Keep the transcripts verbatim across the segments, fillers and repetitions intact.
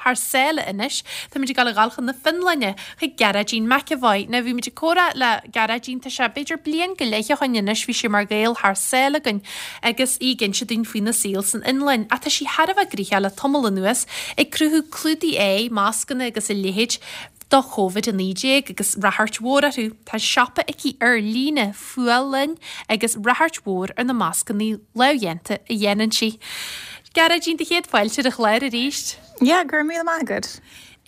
thar sáile anois, Táimid ag dul a ghabháil chun na Fionlainne chuig Gearóidín McEvoy. Now bhí muid ag comhrá le Gearóidín tá sé b'fhéidir bliain go leith ó shin anois bhí sí mar Ghael thar sáile againn agus í ag inse dúinn faoina saol san Fhionlainn. Ach tá sí thar a bheith gnoitheach le tamall anuas ag cruthú clúdaigh aghaidhe, mascanna agus a leithéid do Covid a naoi déag agus ráchairt mhór orthu. Tá siopa aici ar líne Fuáil Linn agus ráchairt mhór ar na mascanna lámhdhéanta a dhéanann sí. Gearóidín do chéad fáilte ar an chlár arís. Yeah, go raibh míle maith agat.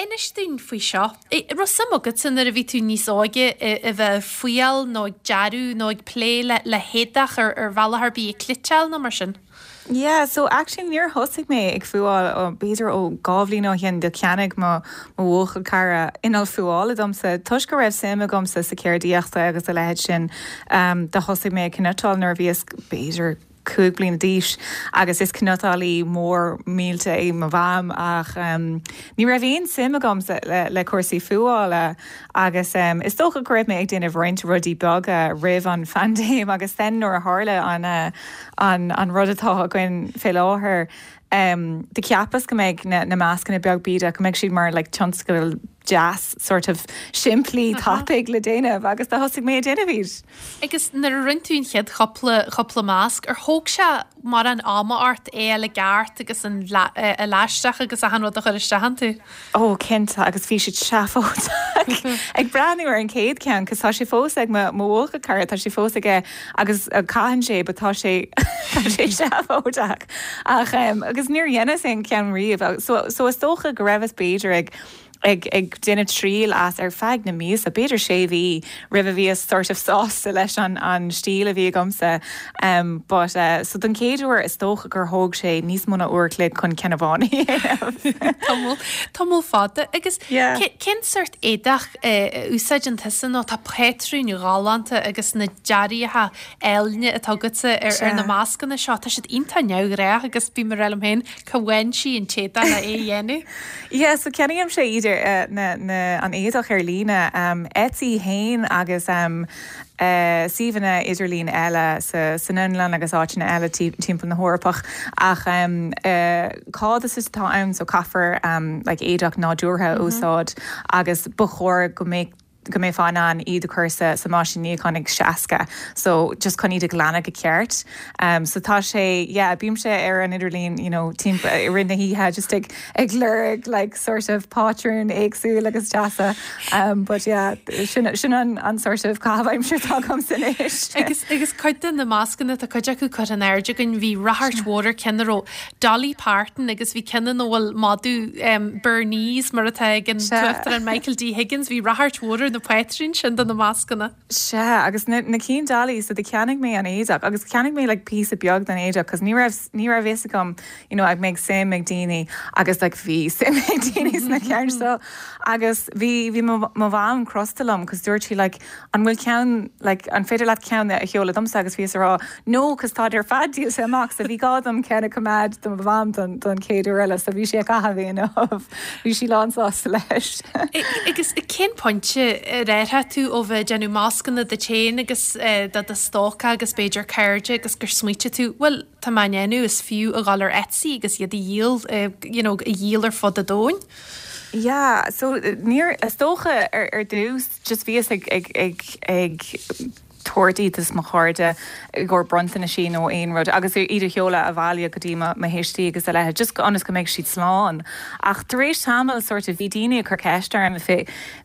Inis dúinn faoi seo. Raibh suim agat nuair a bhí tú níos óige a bheith ag fuáil nó ag dearadh nó ag plé le le héadach ar ar bhealach ar bith ag cniotáil nó mar sin. Yeah, so actually níor thosaigh mé ag fuáil ó b'fhéidir ó dhá bhliain ó shin do cheannaigh mo mo bhuachaill cara inneall fuála domsa toisc go raibh suim agamsa sa cheardaíochta agus a leithéid sin um, do thosaigh mé ag cniotáil nuair a bhíos b'fhéidir cúig bliana d'aois agus is cniotálaí mór millteach é mo mham ach um, ní raibh aon suim agamsa le, le cúrsaí fuála agus um, is dócha go raibh mé ag déanamh roinnt rudaí beaga roimh an phaindéim agus then nuair a tharla an, uh, an, an rud atá againn fé láthair. Um, do cheapas go mbeidh na, na mascanna beag bídeach go mbeidh siad mar like, tionscadal deas sort of simplí tapaidh le déanamh agus do thosaigh mé ag déanamh iad. Agus nuair a rinne tú an chéad chúpla chúpla masc ar thóg sé mar an ama ort é le ceart agus an leaisteach agus achan rud a chur isteach iontu. Ó cinnte agus bhí siad seafóideach ag breathnú ar an chéad cheann, cos tá sé fós ag mo bhuachaill cara tá sé fós aige agus caitheann sé but tá sé tá sé seafóideach ach um, agus níor dheineas aon cheann riamh so, so is dócha go raibh b'fhéidir ag ag ag déanamh triail as ar feadh na míosa b'fhéidir sé mhí roimh a bhíos sort of sásta leis an an stíl a bhí agamsa um, but uh, so don chéad uair is dócha gur thóg sé níos mó ná uair an chloig chun ceann amháin Tamall fada agus cén sórt éadach úsáideann tusa nó tá patrúin ghalánta agus na dearaithe áille atá agatsa ar ar na mascanna seo tá siad iontach neamhghnách agus bím ag rá liom féin cá bhfaigheann sí an t-éadach le é a dhéanamh. Yeah, so ceannaím sé idir uh, na, na, an éadach ar líne um, Etsy féin agus um, uh, suíomhanna idirlín eile sa san Fhionlainn agus áiteanna eile timpeall na hEorpach ach um, uh, cadás atá ann so caithfear um, like éadach nádúrtha mm -hmm. úsáid agus ba chóir go mbeidh go mbeifeá in ann iad a chur sa sa meaisín níocháin ag seasca so just chun iad a ghlanadh go ceart um, so tá sé yeah, bímse ar an idirlíon you know, timpeall i rith na hoíche just ag ag lorg like sort of patrún éagsúil agus deasa um, but yeah, sin, sin an, an sort of caitheamh aimsire atá agam anois. Agus agus cuid de na mascanna tá cuid acu curtha in airde againn bhí ráchairt mhór ar ceann a raibh Dolly Parton agus bhí ceann ina bhfuil madadh um, Bernese mar atá ag an Uachtarán Michael D. Higgins bhí ráchairt mhór na patrúin sin do na mascanna. Sea agus na, na cinn Dolly so do cheannaigh mé an éadach agus cheannaigh mé like píosa beag den éadach cos ní raibh ní raibh fhios agam you know, ag mbeidh suim ag daoine agus like bhí suim ag daoine sna ceann so agus bhí bhí mo mham crosta liom cos dúirt sí like an bhfuil ceann like an féidir leat ceann a sheoladh domsa agus bhíos ag rá no cos tá ar fad díolta amach so bhí gá dom ceann a choimeád do mo mham don don chéad uair eile so bhí sé caitheamh bhí sí lánsásta leis. Agus cén pointe ar athraigh tú ó bheith déanamh mascanna duit féin agus do do stóca agus b'fhéidir cairde agus gur smaointigh tú well tá mé ndéanamh is fiú a ghabháil ar Etsy agus iad a dhíol you know, a dhíol ar fud an domhain. Yeah, so níor is dócha ar ar dtús just bhíos ag ag ag ag tabhairt iad do mo chairde gur bronntanaisí nó aon rud agus iad a sheoladh abhaile go dtí mo thuistí agus a leithéid just ionas go mbeidh siad slán. Ach tar éis tamall sort of bhí daoine ag cur ceist orm fé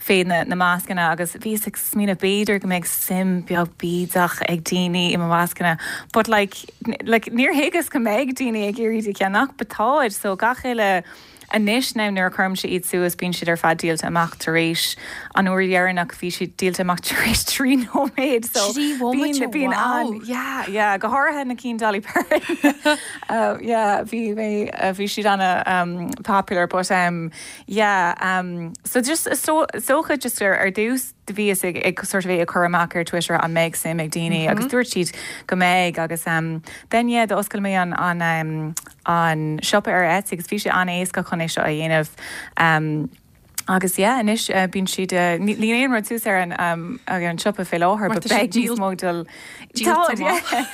fé na, na mascanna agus bhíos ag smaoineamh b'fhéidir go mbeidh suim beag bídeach ag daoine i mo mascanna, but like, like níor thuigeas go mbeidh daoine ag iarraidh a cheannach but táid so gach uile anois ná nuair a chuirimse iad suas bíonn siad ar fad díolta amach tar éis an uair dheireanach bhí siad díolta amach tar éis trí nóiméad so bíonn bíonn an yeah yeah go háirithe na cinn Dolly Parton uh, yeah bhí mé uh, bhí siad ana um, popular but um, yeah um, so just so dócha just ar ar dtús do bhíos ag ag sort of é ag cur amach ar Twitter an mbeidh suim ag daoine mm -hmm. agus dúirt siad go mbeidh agus um, then yeah d'oscail mé an an um, an siopa ar Etsy agus bhí sé an-éasca chun é seo a dhéanamh um, Agus yeah, anois uh, bíonn siad uh, níl aon rud suas ar an um, ar an siopa fé láthair, but beidh níos mó dul Tá,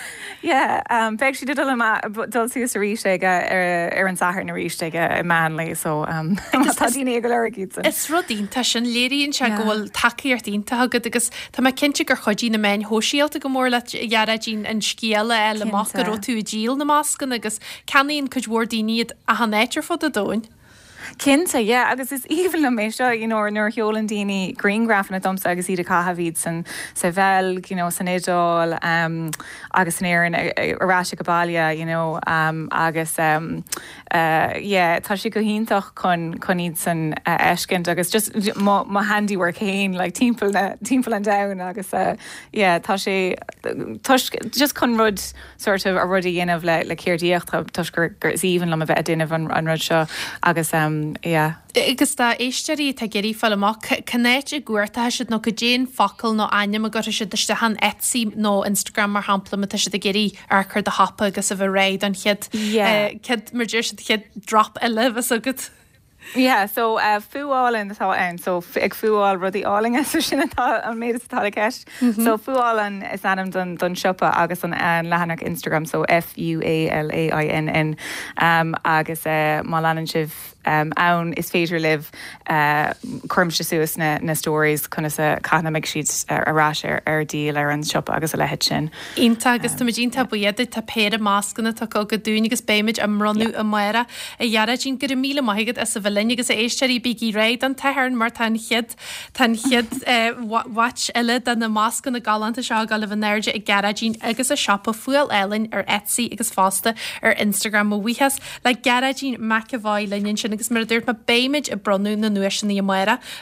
Yeah, um, beidh siad dul dul suas arís ag ar, ar an Satharn arís ag i meánlae so um, tá daoine ag lorg iad Is rud iontach sin léiríonn sé go bhfuil tacaíocht iontach agat agus tá mé cinnte gur chuidigh na meáin shóisialta go mór leat a Ghearóidín an scéal a fháil amach go raibh tú ag díol na mascanna agus ceannaíonn cuid mhór daoine iad achan áit ar fud an domhain. Cinnte, yeah, agus is aoibhinn liom é seo you know, nuair a sheolann daoine grianghrafanna domsa agus iad ag caitheamh iad san sa Bheilg, you know, san Iodáil um, agus san Éirinn ar ais go baile, you know, um, agus um, uh, yeah, tá sé go hiontach chun chun iad san uh, fheiscint agus just mo, mo handiwork féin like, timpeall na timpeall an domhain agus uh, yeah, tá sé toisc just chun rud sort of a rud a dhéanamh le le ceardaíocht toisc gur gur is aoibhinn liom a bheith ag déanamh an, an rud seo agus um, yeah. Agus dá éisteoirí atá ag iarraidh fáil amach cén áit a gcuartóidh siad nó cad é an focal nó ainm a gcuirfidh siad isteach an Etsy nó Instagram mar shampla má tá siad ag iarraidh amharc ar do shiopa agus a bheith réidh don chéad Yeah. céad mar deir siad chéad drop eile bheas agat. Yeah, so uh, fuálann atá ann so f- ag fuáil rudaí álainne so sin atá an méid is atá i gceist. Mm -hmm. So fuálann is ainm don don siopa agus an an leathanach Instagram so F U A L A I N N um, agus uh, má leanann sibh um, ann is féidir libh uh, cuirimse suas na, na stories conas a caithfidh siad uh, ar ais ar ar díol ar an siopa agus a leithéid sin. Iontach agus tá iontach buíoch tá péire mascanna tugtha agat dúinn agus beimid á mbronnadh amárach a Ghearóidín go raibh míle maith agat as a bheith linn agus a éisteoirí bígí réidh an Satharn mar tá an chéad tá an chéad batch eile de na mascanna galánta seo go bh an airde ag Gearóidín agus a siopa Fuáil Álainn ar Etsy agus fosta ar Instagram mo bhuíochas le Gearóidín McEvoy linn sin agus mar a dúirt mé beimid ag bronnadh na nduaiseanna amárach